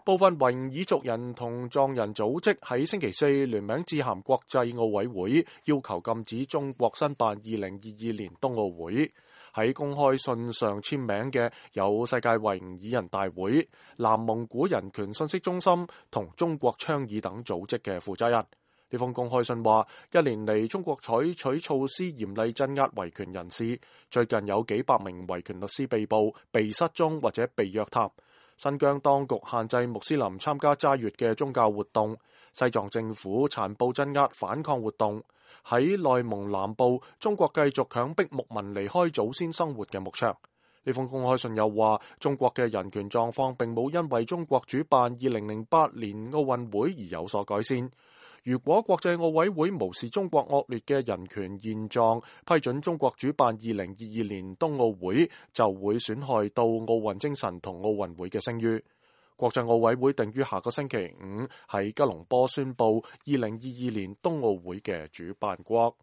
部分維吾爾族人同藏人組織喺星期四聯名致函國際奧委會，要求禁止中國申辦2022年冬奧會。喺公開信上簽名嘅有世界維吾爾人大會、南蒙古人權信息中心同中國倡議等組織嘅負責人。呢封公開信話，一年嚟中國採取措施嚴厲鎮壓維權人士，最近有幾百名維權律師被捕、被失蹤或者被約談。新疆當局限制穆斯林參加齋月嘅宗教活動，西藏政府殘暴鎮壓反抗活動。喺內蒙南部，中國繼續強迫牧民離開祖先生活嘅牧場。呢封公開信又話，中國嘅人權狀況並冇因為中國主辦2008年奧運會而有所改善。如果國際奧委會無視中國惡劣嘅人權現狀，批准中國主辦2022年冬奧會，就會損害到奧運精神同奧運會嘅聲譽。國際奧委會定於下個星期五喺吉隆坡宣布2022年冬奧會嘅主辦國。